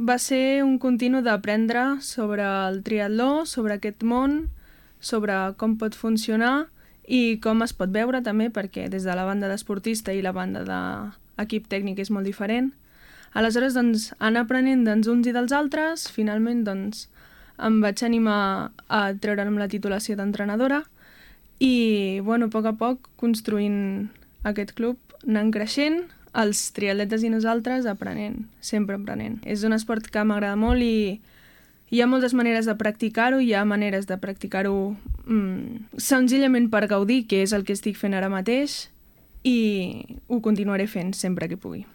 va ser un continu d'aprendre sobre el triatló, sobre aquest món, sobre com pot funcionar i com es pot veure també, perquè des de la banda d'esportista i la banda d'equip tècnic és molt diferent. Aleshores, doncs, anar aprenent dels uns i dels altres, finalment, doncs, em vaig animar a treure'm la titulació d'entrenadora i, bueno, a poc construint aquest club, anant creixent, els triatletes i nosaltres aprenent, sempre aprenent. És un esport que m'agrada molt i hi ha moltes maneres de practicar-ho, hi ha maneres de practicar-ho senzillament per gaudir, que és el que estic fent ara mateix, i ho continuaré fent sempre que pugui.